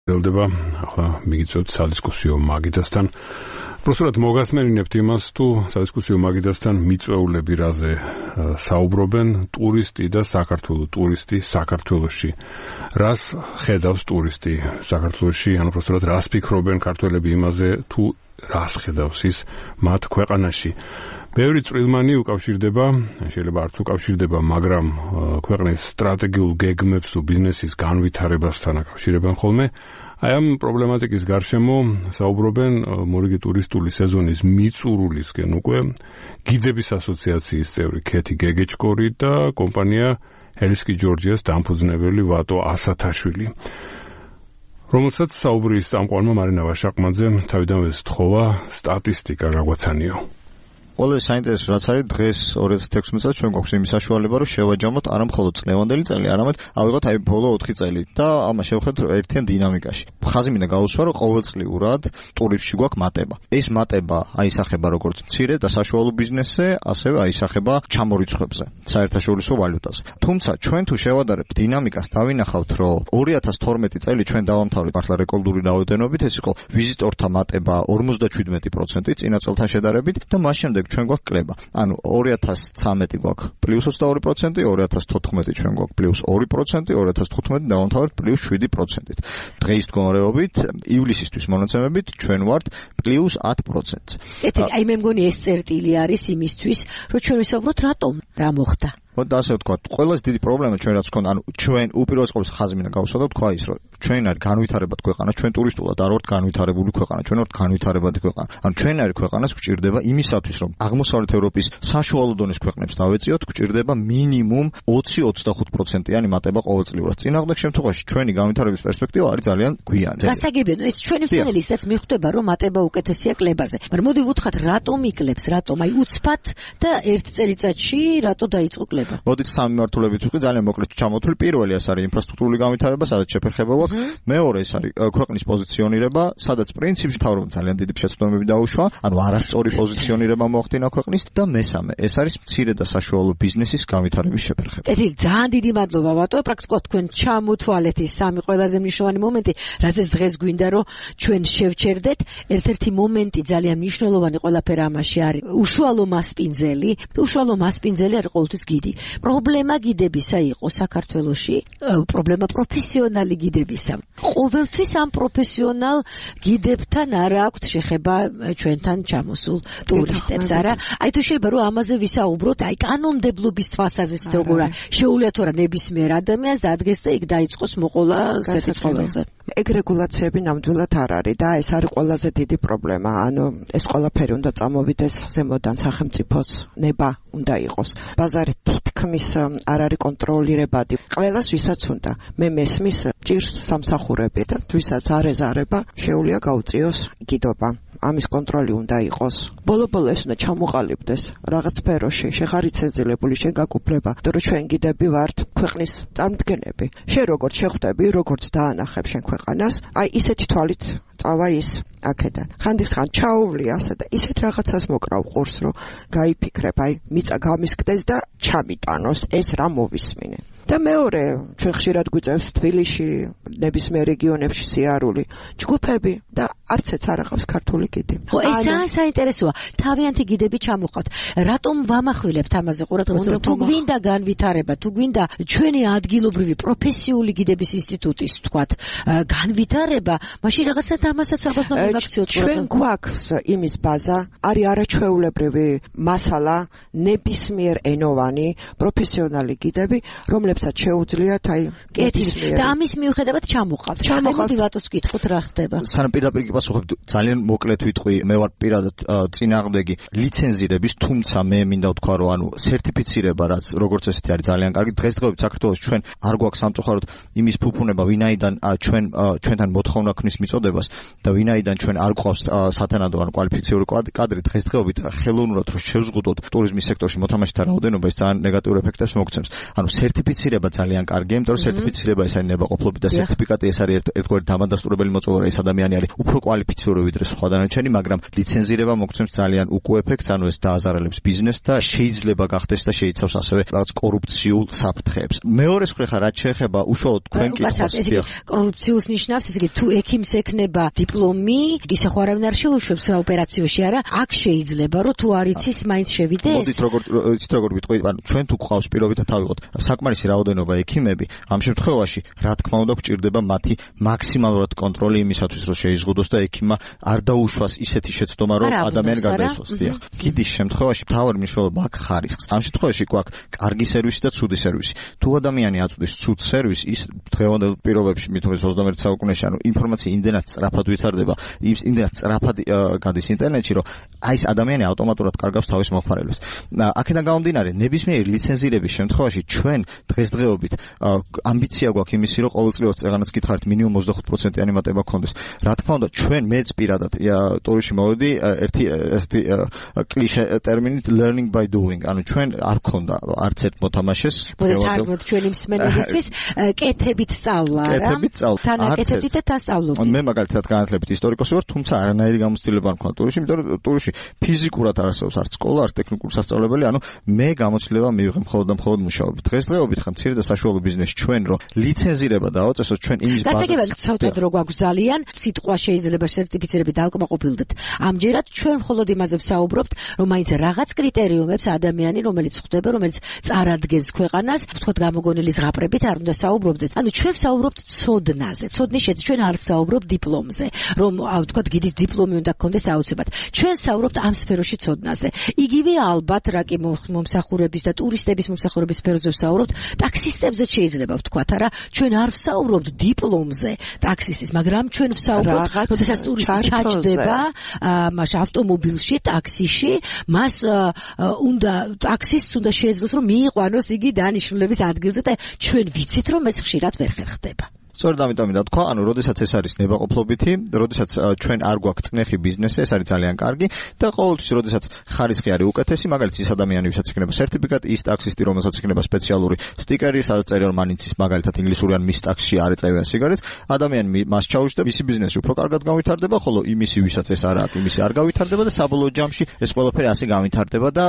ელდება ახლა მიგიწევთ სადისკუსიო მაგიდასთან. Პროსტად მოგასმენინებთ იმას, თუ სადისკუსიო მაგიდასთან მიწვეულები რაზე საუბრობენ, ტურისტი და საქართველოს ტურისტი საქართველოში. რას ხედავს ტურისტი საქართველოში, ანუ პროსტად რას ფიქრობენ ქართველები იმაზე, თუ რას ხედავს ის მათ ქვეყანაში. ბევრი წვრილმანი უკავშირდება, შეიძლება არც უკავშირდება, მაგრამ ქვეყნის სტრატეგიულ გეგმებს თუ ბიზნესის განვითარებასთან აკავშირებენ ხოლმე. Აი ამ პრობლემატიკის გარშემო საუბრობენ მორიგი ტურისტული სეზონის მიწურულისკენ უკვე გიძების ასოციაციის წევრი ქეთი გეგეჭკორი და კომპანია ჰელსკი ჯორჯიას დამფუძნებელი ვატო ასათაშვილი. რომელსაც საუბრის წამყვანმა მარინა ვაშაყმაძემ თავიდანვე სთხოვა სტატისტიკა გაგვაცანიო. Όλες საინტერესო რაც არის დღეს 2016 წელს ჩვენ გვაქვს იმის საშუალება რომ შევაჯამოთ არა მხოლოდ წლევანდელი წელი, არამედ ავიღოთ აი ბოლო 4 წელი და ამას შევხედოთ ერთიან დინამიკაში. ხაზი მინდა გავუსვა რომ ყოველწლიურად ტურისტში გვაქვს მატება. ეს მატება აისახება როგორც მცირე და საშუალო ბიზნესზე, ასევე აისახება ჩამორიცხვებზე, საერთაშორისო ვალუტაზე. თუმცა ჩვენ თუ შევადარებთ დინამიკას, დავინახავთ რომ 2012 წელი ჩვენ დავამთავრეთ მართლა რეკორდული რაოდენობით, ეს იყო ვიზიტორთა მატება 57% წინა წელთან შედარებით და მას შემდეგ ჩვენ გვაქვს კლება. ანუ 2013 გვაქვს +22%, 2014 ჩვენ გვაქვს +2%, 2015 დავამთავრეთ +7%. დღეის მდგომარეობით, ივლისისთვის მონაცემებით ჩვენ ვართ +10%. აი მე მგონი ეს წერტილი არის იმისთვის, რომ ჩვენ ვისაუბროთ რატომ, რა მოხდა. და ასე ვთქვათ, ყველაზე დიდი პრობლემა ჩვენ რაც გვქონდა, ანუ ჩვენ უპირველეს ყოვლისა ხაზი მინდა გავუსვა და ვთქვა ის, რომ ჩვენ არის განვითარებად ქვეყანა, ჩვენ ტურისტულად არ ვართ განვითარებული ქვეყანა, ჩვენ ვართ განვითარებადი ქვეყანა. ანუ ჩვენ არის ქვეყანას გვჭირდება იმისათვის, რომ აღმოსავლეთ ევროპის საშუალო დონის ქვეყნებს დავეწიოთ, გვჭირდება მინიმუმ 20-25%-იანი მატება ყოველწლიურად. წინააღმდეგ შემთხვევაში ჩვენი განვითარების პერსპექტივა არის ძალიან გვიანი. გასაგებია, ეს ჩვენი მსმენელისთაც მიხვდება, რომ მატება უკეთესია კლებაზე. მაგრამ მოდი ვუთხრათ, რატომ იკლებს, რატომ? აი უცბად და ერთ წელიწადში რატო დაიწყო კლება? მოდით სამი მართულებით ვიყავი ძალიან მოკლედ ჩამოთვლი. პირველი ეს არის ინფრასტრუქტურული განვითარება, სადაც შეფერხება გვაქვს. მეორე ეს არის ქვეყნის პოზიციონირება, სადაც პრინციპში მთავრობამ ძალიან დიდი შეცდომები დაუშვა, ანუ არასწორი პოზიციონირება მოახდინა ქვეყნის და მესამე ეს არის მცირე და საშუალო ბიზნესის განვითარების შეფერხება. კეთილი, ძალიან დიდი მადლობა ვატო, პრაქტიკულად თქვენ ჩამოთვალეთ ის სამი ყველაზე მნიშვნელოვანი მომენტი, რასაც დღეს გვინდა რომ ჩვენ შევჩერდეთ. ერთ-ერთი მომენტი ძალიან მნიშვნელოვანი ყველაფერ ამაში არის უშუალო მასპინძელი. უშუალო მასპინძელი არის ყოველთვის გიდი. პრობლემა გიდებისა იყო საქართველოში, პრობლემა პროფესიონალი გიდებისა. ყოველთვის ამ პროფესიონალ გიდებთან არ აქვს შეხება ჩვენთან ჩამოსულ ტურისტებს, არა? აი თუ შეიძლება რომ ამაზე ვისაუბროთ, აი კანონმდებლობის თვალსაზრისით როგორ შეუძლია თუ არა ნებისმიერ ადამიანს დადგეს და იქ დაიწყოს მოყოლა ასეთი ცხოველზე. ეგ რეგულაციები ნამდვილად არ არის და ეს არის ყველაზე დიდი პრობლემა. ანუ ეს ყველაფერი უნდა წამოვიდეს ზემოდან, სახელმწიფოს ნება უნდა იყოს. ბაზარი თითქმის არ არის კონტროლირებადი. ყველას ვისაც უნდა. მე მესმის ჭირს სამსახურები და ვისაც არ ეზარება, შეუძლია გაუწიოს გიდობა. ამის კონტროლი უნდა იყოს. ბოლო-ბოლო ეს უნდა ჩამოყალიბდეს რაღაც სფეროში, შეხარიცეზილებული შეგაკუფლება, იმიტომ რომ ჩვენ გიდები ვართ ქვეყნის წარმომადგენლები. შენ როგორც შეხვდები, როგორც დაანახებ შენ ქვეყანას, აი ისეთი თვალით წავა ის აქედან. ხანდახან ჩაუვლი ასე და ისეთ რაღაცას მოკრავ ყურს, რომ გაიფიქრებ, აი მიწა გამისკდეს და ჩამიტანოს ეს რა მოვისმინე. და მეორე, ჩვენ ხშირად გვიწევს თბილისში, ნებისმიერ რეგიონებში სიარული, ჯგუფები და არცეც არ აღავს ქართული გიდი. ხო, ეს ძალიან საინტერესოა. თავიანთი გიდები ჩამოყავთ. რატომ ვამახვილებთ ამაზე ყურადღებას? თუ გვინდა განვითარება, თუ გვინდა ჩვენი ადგილობრივი პროფესიული გიდების ინსტიტუტის, თქვათ, განვითარება, მაშინ რაღაცა ამასაც ალბათ მივაქციოთ. ჩვენ გვაქვს იმის ბაზა, არის არაჩვეულებრივი მასალა, ნებისმიერ ენოვანი პროფესიონალი გიდები, რომლებსაც შეუძლიათ აი და ამის მიუხედავად ჩამოყავთ. მოდი ვატოს ვკითხოთ რა ხდება. სანამ პირდაპირ გიპასუხებ, ძალიან მოკლედ ვიტყვი, მე ვარ პირადად წინააღმდეგი ლიცენზირების, თუმცა მე მინდა ვთქვა, რომ ანუ სერტიფიცირება, რაც როგორც ესეთი არის ძალიან კარგი. დღესდღეობით საქართველოს ჩვენ არ გვაქვს სამწუხაროდ იმის ფუფუნება, ვინაიდან ჩვენთან მოთხოვნა ქნის მიწოდებას და ვინაიდან ჩვენ არ გვყავს სათანადო ან კვალიფიციური კადრი, დღესდღეობით ხელოვნურად რომ შევზღუდოთ ტურიზმის სექტორში მოთამაშეთა რაოდენობა, ეს ძალიან ნეგატიურ ეფექტებს მოგცემს. ანუ სერტიფიცირება სერტიფიცირება ძალიან კარგია, იმიტომ რომ სერტიფიცირება ეს არის ნებაყოფლობით და სერტიფიკატი ეს არის ერთგვარი დამადასტურებელი მოწყობილება, ეს ადამიანი არის უფრო კვალიფიციური ვიდრე სხვა დანარჩენი, მაგრამ ლიცენზირება მოგცემს ძალიან უკუ ეფექტს, ანუ ეს დააზარალებს ბიზნესს და შეიძლება გახდეს და შეიცავს ასევე რაღაც კორუფციულ საფრთხეებს. მეორე მხრივ რაც შეეხება უშუალოდ თქვენ კითხვას, კორუფციულს ნიშნავს, ესე იგი თუ ექიმს ექნება დიპლომი, ისე ხო არავინ არ შეუშვებს ოპერაციაში, არა? აქ შეიძლება რომ თუ არ იცის, მაინც შევიდეს. მოდით როგორ ვიტყვი, ანუ ჩვენ თუ გვყავს პირობითად ავიღოთ საკმარისი რაოდენობა ექიმები, ამ შემთხვევაში რა თქმა უნდა გვჭირდება მათი მაქსიმალურად კონტროლი იმისათვის, რომ შეიზღუდოს და ექიმმა არ დაუშვას ისეთი შეცდომა, რომ ადამიანი გარდაიცვალოს. კიდის შემთხვევაში მთავარი მნიშვნელობა აქვს ხარისხს. ამ შემთხვევაში გვაქვს კარგი სერვისი და ცუდი სერვისი. თუ ადამიანი აწვდის ცუდ სერვისს, ის დღევანდელ პირობებში, მithomეს 21 საუკუნეში, ანუ ინფორმაცია იმდენად სწრაფად ვითარდება, იმდენად სწრაფად გადის ინტერნეტში, რომ აი ეს ადამიანი ავტომატურად კარგავს თავის მომხმარებელს. აქედან გამომდინარე, ნებისმიერი ლიცენზირების შემთხვევაში ჩვენ დღესდღეობით ამბიცია გვაქვს იმისი, რომ ყოველწლიურად წეღანაც გითხარით მინიმუმ 25%-იანი მატება გქონდეს. რა თქმა უნდა, ჩვენ მეც პირადად ტურში მოვედი ერთი ესეთი კლიშე ტერმინით learning by doing, ანუ ჩვენ არ გქონდა არც ერთ მოთამაშეს. მოდით ჩვენი მსმენელისთვის კეთებით სწავლა, რა? კეთებით სწავლა. თანაკეთებით და დასწავლობთ. მე მაგალითად განათლებით ისტორიკოსი ვარ, თუმცა არანაირი გამოცდილება არ მქონდა ტურში, იმიტომ რომ ტურში ფიზიკურად არ არსებობს არც სკოლა, არც ტექნიკური სასწავლებელი, ანუ მე გამოცდილება მივიღე მხოლოდ და მხოლოდ მუშაობით. დღესდღეობით ხა მცირე და საშუალო ბიზნესი ჩვენ რომ ლიცენზირება დავაწესოთ ჩვენ იმის ბაზაზე. გასაგებად გცავთ რომ გვაქვს ძალიან სიტყვა შეიძლება სერტიფიცირებით დავკმაყოფილდეთ. ამჯერად ჩვენ მხოლოდ იმაზე ვსაუბრობთ, რომ მაინც რაღაც კრიტერიუმებს ადამიანი, რომელიც ხვდება, რომელიც წარადგენს ქვეყანას, ვთქვათ გამოგონილი ზღაპრებით არ უნდა საუბრობდეთ. ანუ ჩვენ ვსაუბრობთ ცოდნაზე. ცოდნის შეცდ ჩვენ არ ვსაუბრობთ დიპლომზე, რომ ვთქვათ გიდის დიპლომი უნდა გქონდეს აუცილებლად. ჩვენ ვსაუბრობთ ამ სფეროში ცოდნაზე. იგივე ალბათ რა კი მომსახურების და ტურისტების მომსახურების სფეროზე ვსაუბრობთ, ტაქსისტებზე შეიძლება ვთქვათ, არა, ჩვენ არ ვსაუბრობთ დიპლომზე ტაქსისტის, მაგრამ ჩვენ ვსაუბრობთ, როდესაც ტურისტი ჩაჯდება, მაშინ ავტომობილში, ტაქსიში, მას უნდა ტაქსისტს უნდა შეეძლოს, რომ მიიყვანოს იგი დანიშნულების ადგილზე და ჩვენ ვიცით, რომ ეს ხშირად ვერ ხერხდება. სწორედ ამიტომ და თქვა, ანუ როდესაც ეს არის ნებაყოფლობითი, როდესაც ჩვენ არ გვაქვს წნეხი ბიზნესი, ეს არის ძალიან კარგი და ყოველთვის როდესაც ხარისხი არის უკეთესი, მაგალითად ის ადამიანი, ვისაც იქნება სერტიფიკატი, ის ტაქსისტი, რომელსაც იქნება სპეციალური სტიკერი, სადაც წერია რომ მან იცის მაგალითად ინგლისური ან მის ტაქსში არ ეწევიან სიგარეტს, ადამიანი მას ჩაუშვდა, მისი ბიზნესი უფრო კარგად განვითარდება, ხოლო იმისი, ვისაც ეს არ აქვს, იმისი არ განვითარდება და საბოლოო ჯამში ეს ყველაფერი ასე განვითარდება და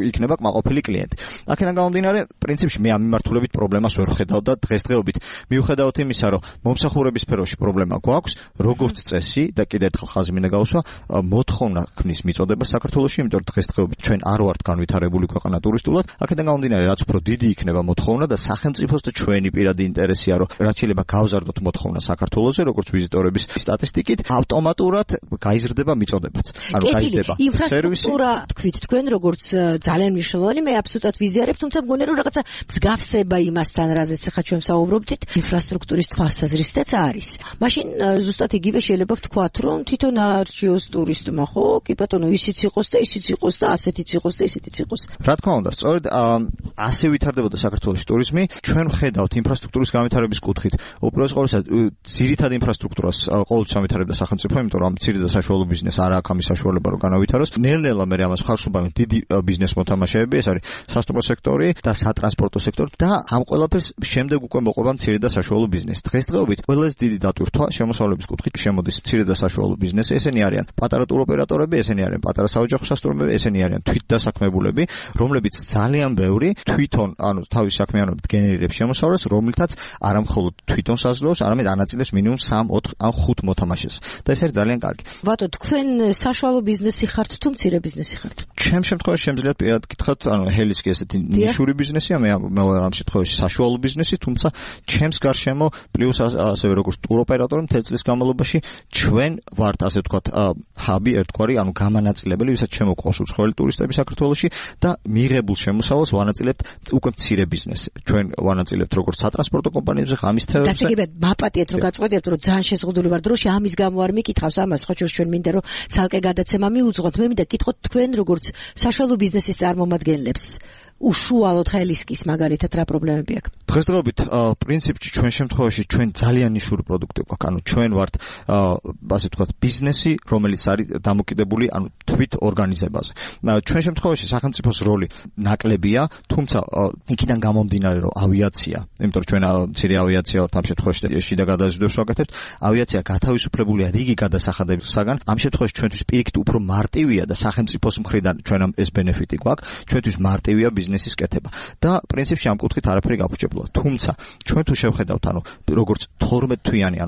იქნება კმაყოფილი კლიენტი. აქედან გამომდინარე, პრინციპში მე ამ მიმართულებით პრობლემას ვერ ვხედავ და დღესდღეობით მივხედავთ იმისა, რომ მომსახურების სფეროში პრობლემა გვაქვს, როგორც წესი და კიდევ ერთხელ ხაზი მინდა გავუსვა, მოთხოვნა ქმნის მიწოდება საქართველოში, იმიტომ რომ დღესდღეობით ჩვენ არ ვართ განვითარებული ქვეყანა ტურისტულად. აქედან გამომდინარე, რაც უფრო დიდი იქნება მოთხოვნა და სახელმწიფოს და ჩვენი პირადი ინტერესია, რომ რაც შეიძლება გავზარდოთ მოთხოვნა საქართველოზე, როგორც ვიზიტორების სტატისტიკით, ავტომატურად გაიზრდება მიწოდებაც. ანუ გაიზრდება ინფრასტრუქტურა, თქვით თქვენ, როგორც ძალიან მნიშვნელოვანი, მე აბსოლუტურად ვიზიარებ, თუმცა მგონია რომ რაღაცა მსგავსება იმასთან, რაზეც ახლა ჩვენ საუბრობდით, ინფრასტრუქტურის თვალსაზრისითაც არის. მაშინ ზუსტად იგივე შეიძლება ვთქვათ, რომ თვითონ არჩიოს ტურისტმა, ხო? კი ბატონო, ისიც იყოს და ისიც იყოს და ასეთიც იყოს და ისეთიც იყოს. რა თქმა უნდა, სწორედ ასე ვითარდებოდა საქართველოს ტურიზმი. ჩვენ ვხედავთ ინფრასტრუქტურის განვითარების კუთხით. უპირველეს ყოვლისა, ძირითად ინფრასტრუქტურას ყოველთვის ამვითარებდა სახელმწიფო, იმიტომ რომ მცირე და საშუალო ბიზნესს არ აქვს ამის საშუალება, რომ განავითაროს. ნელ-ნელა მე ამას ხარს უბავენ დიდი ბიზნეს მოთამაშეები, ეს არის სასტუმრო სექტორი და სატრანსპორტო სექტორი და ამ ყველაფერს შემდეგ უკვე მოყვება მცირე და საშუალო ბიზნესი. დღესდღეობით ყველაზე დიდი დატვირთვა შემოსავლების კუთხით შემოდის მცირე და საშუალო ბიზნესი, ესენი არიან პატარა ტუროპერატორები, ესენი არიან პატარა საოჯახო სასტუმროები, ესენი არიან თვითდასაქმებულები, რომლებიც ძალიან ბევრი თვითონ, ანუ თავის საქმიანობით გენერირებს შემოსავლას, რომლითაც არა მხოლოდ თვითონ საზრდოობს, არამედ ანაწილებს მინიმუმ 3, 4 ან 5 მოთამაშეს. და ეს არის ძალიან კარგი. ბატონო, თქვენ საშუალო ბიზნესი ხართ თუ მცირე ბიზნესი ხართ? ჩემ შემთხვევაში შემიძლია პირადად გითხრათ, ანუ ჰელისკი ესეთი ნიშური ბიზნესია, მე ამ შემთხვევაში საშუალო ბიზნესი, თუმცა ჩემს გარშემო პლუს ასევე როგორც ტუროპერატორი მთელი წლის განმავლობაში ჩვენ ვართ ასე ვთქვათ ჰაბი ერთგვარი, ანუ გამანაწილებელი, ვისაც შემოყვავს უცხოელი ტურისტები საქართველოში და მიღებულ შემოსავალს ვანაწილებთ უკვე მცირე ბიზნესს. ჩვენ ვანაწილებთ როგორც სატრანსპორტო კომპანიებზე, ღამის თევზებზე. გასაგებად, მაპატიეთ რომ გაწყვეტებთ, რომ ძალიან შეზღუდული ვარ დროში, ამის გამო არ მიკითხავს ამას, ხო ჩვენ მინდა რომ ცალკე გადაცემა მიუძღვათ. მე მინდა გითხოთ თქვენ როგორც საშუალო ბიზნესის წარმომადგენლებს, უშუალოდ ხელისკის მაგალითად რა პრობლემები აქვს? დღესდღეობით პრინციპში ჩვენ შემთხვევაში ჩვენ ძალიან ნიშური პროდუქტი გვაქვს. ანუ ჩვენ ვართ ასე ვთქვათ ბიზნესი, რომელიც არის დამოკიდებული თვით ორგანიზებაზე. ჩვენ შემთხვევაში სახელმწიფოს როლი ნაკლებია, თუმცა იქიდან გამომდინარე რომ ავიაცია, იმიტომ რომ ჩვენ მცირე ავიაცია ვართ ამ შემთხვევაში შიდა გადაზიდვებს ვაკეთებთ, ავიაცია გათავისუფლებულია რიგი გადასახადებისაგან. ამ შემთხვევაში ჩვენთვის პირიქით უფრო მარტივია და სახელმწიფოს მხრიდან ჩვენამ ეს ბენეფიტი გვაქვს, ჩვენთვის მარტივია ბიზნესის კეთება. და პრინციპში ამ კუთხით არაფერი გაფუჭებულა. თუმცა ჩვენ თუ შევხედავთ, როგორც 12 თვიანი,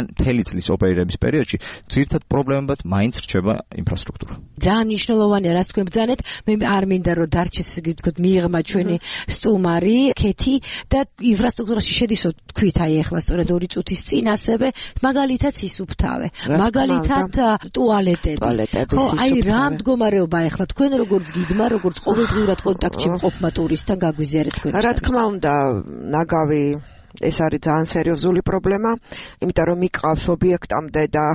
მთელი წლის ოპერირების პერიოდში, ძირითად პრობლემებად მაინც რჩება ინფრასტრუქტურა. ძალიან მნიშვნელოვანია, რაც თქვენ ბრძანეთ. მე არ მინდა რომ დარჩეს თქვით მიიღმა ჩვენი სტუმარი ქეთი და ინფრასტრუქტურაში შედისო თქვით ახლა სწორედ 2 წუთის წინ ასევე მაგალითად სისუფთავე, მაგალითად ტუალეტები. ხო, რა მდგომარეობა ახლა თქვენ როგორც გიდმა, როგორც ყოველდღიურად კონტაქტში მყოფმა ტურისტთან გაგვიზიარეთ თქვენ. რა თქმა უნდა, ნაგავი ეს არის ძალიან სერიოზული პრობლემა, იმიტომ რომ მიყავს ობიექტამდე და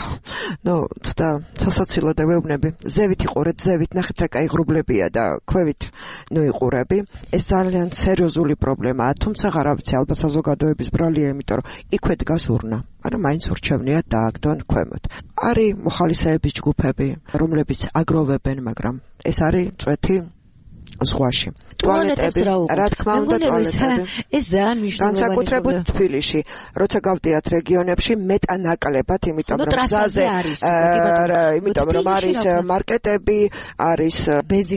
ცოტა სასაცილო და ვეუბნები. ზევით იყურეთ, ზევით ნახეთ რა კაი ღრუბლებია და ქვევით იყურები. ეს ძალიან სერიოზული პრობლემაა, თუმცა რა ვიცი, ალბათ საზოგადოების ბრალია, იმიტომ რომ იქვე დგას ურნა. არა, მაინც ურჩევნიათ დააგდონ ქვემოთ. არის მოხალისეების ჯგუფები, რომლებიც აგროვებენ, მაგრამ ეს არის წვეთი ზღვაში. ტუალეტები, რა თქმა უნდა, ტუალეტები. ეს ძალიან მნიშვნელოვანია. განსაკუთრებით თბილისში, როცა გავდიათ რეგიონებში, მეტანაკლებად, იმიტომ რომ გზაზე იმიტომ რომ არის მარკეტები, არის ბეზი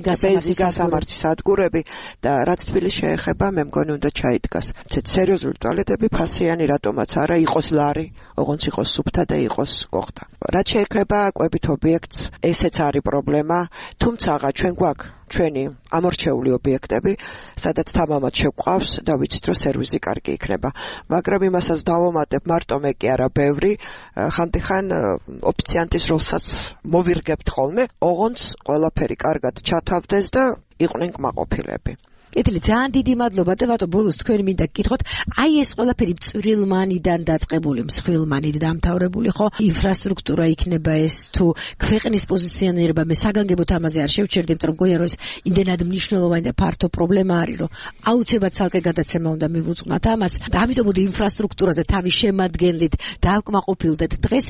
გასამართის სადგურები და რაც თბილისს შეეხება, მე მგონი უნდა ჩაიდგას. ესეთ სერიოზული ტუალეტები, ფასიანი რატომაც არა, იყოს ლარი, ოღონდ იყოს სუფთა და იყოს კოხტა. რაც შეეხება კვებით ობიექტს, ესეც არის პრობლემა, თუმცა ჩვენ გვაქვს ჩვენი ამორჩეული ობიექტები, სადაც თამამად შევყავს და ვიცით, რომ სერვისი კარგი იქნება. მაგრამ იმასაც დავამატებ, მარტო მე კი არა, ბევრი, ხანდახან ოფიციანტის როლსაც მოვირგებთ ხოლმე, ოღონდ ყველაფერი კარგად ჩათავდეს და იყვნენ კმაყოფილები. კეთილი, ძალიან დიდი მადლობა და ბატონო ბოლოს თქვენ მინდა გკითხოთ, აი ეს ყველაფერი წვრილმანიდან დაწყებული, მსხვილმანით დამთავრებული, ხო? ინფრასტრუქტურა იქნება ეს თუ ქვეყნის პოზიციონირება, მე საგანგებოდ ამაზე არ შევჩერდი, იმიტომ რომ მგონია რომ ეს იმდენად მნიშვნელოვანი და ფართო პრობლემა არის, რომ აუცილებლად ცალკე გადაცემა უნდა მივუძღვნათ ამას. და ამიტომ მოდი ინფრასტრუქტურაზე თავის შემადგენლით დავკმაყოფილდეთ დღეს.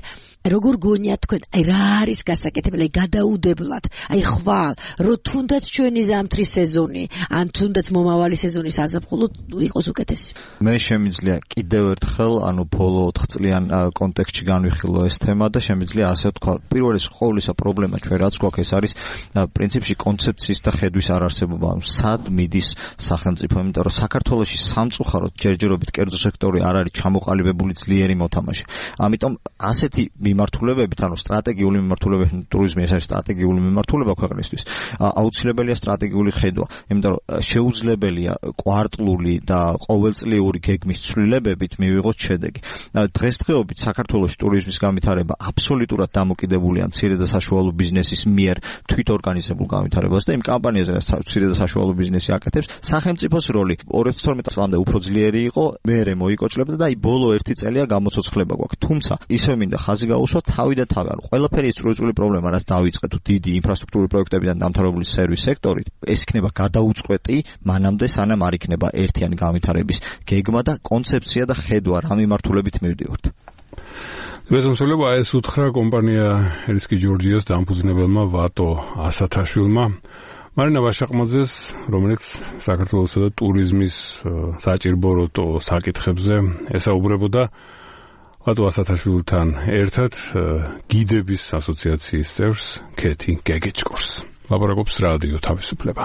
როგორ გონიათ თქვენ, აი რა არის გასაკეთებელი, გადაუდებლად, აი ხვალ, რომ თუნდაც ჩვენი ზამთრის სეზონი, ან თუნდაც მომავალი სეზონის საზაფხულო იყოს უკეთესი. მე შემიძლია კიდევ ერთხელ, ბოლო 4 წლიან კონტექსტში განვიხილო ეს თემა და შემიძლია ასე ვთქვა, პირველი ყოვლისა პრობლემა ჩვენ რაც გვაქვს, ეს არის პრინციპში კონცეფციის და ხედვის არარსებობა, სად მიდის სახელმწიფო, იმიტომ რომ საქართველოში სამწუხაროდ ჯერჯერობით კერძო სექტორი არ არის ჩამოყალიბებული ძლიერი მოთამაშე. ამიტომ ასეთი მიმართულებებით, სტრატეგიული მიმართულებებით, ტურიზმი ეს არის სტრატეგიული მიმართულება ქვეყნისთვის. აუცილებელია სტრატეგიული ხედვა, იმიტომ რომ შეუძლებელია კვარტლული და ყოველწლიური გეგმის ცვლილებებით მივიღოთ შედეგი. დღესდღეობით საქართველოში ტურიზმის განვითარება აბსოლუტურად დამოკიდებულია მცირე და საშუალო ბიზნესის მიერ თვითორგანიზებულ განვითარებას და იმ კამპანიაზე, რაც მცირე და საშუალო ბიზნესი აკეთებს, სახელმწიფოს როლი 2012 წლამდე უფრო ძლიერი იყო, მერე მოიკოჭლებდა და ბოლო 1 წელია გამოცოცხლება გვაქვს. თუმცა ისევ მინდა ხაზი გაუსვა თავი და თავი. ყველაფერი წვრილი პრობლემა, რაც დაიწყეთ დიდი ინფრასტრუქტურული პროექტებიდან დამთავრებული სერვის სექტორით, ეს იქნება გადაუწყვეტი მანამდე სანამ არ იქნება ერთიანი განვითარების გეგმა და კონცეფცია და ხედვა რა მიმართულებით მივდივართ. მესამსვლება ეს უთხრა კომპანია ერისკი ჯორჯიას დამფუძნებელმა ვატო ასათაშვილმა მარინა ვაშაყმაძეს, რომელიც საქართველოსა და ტურიზმის საჭირბოროტო საკითხებზე ესაუბრებოდა. ვატო ასათაშვილთან ერთად გიდების ასოციაციის წევრს ქეთი გეგეჭკორს. ლაპარაკობს რადიო თავისუფლება.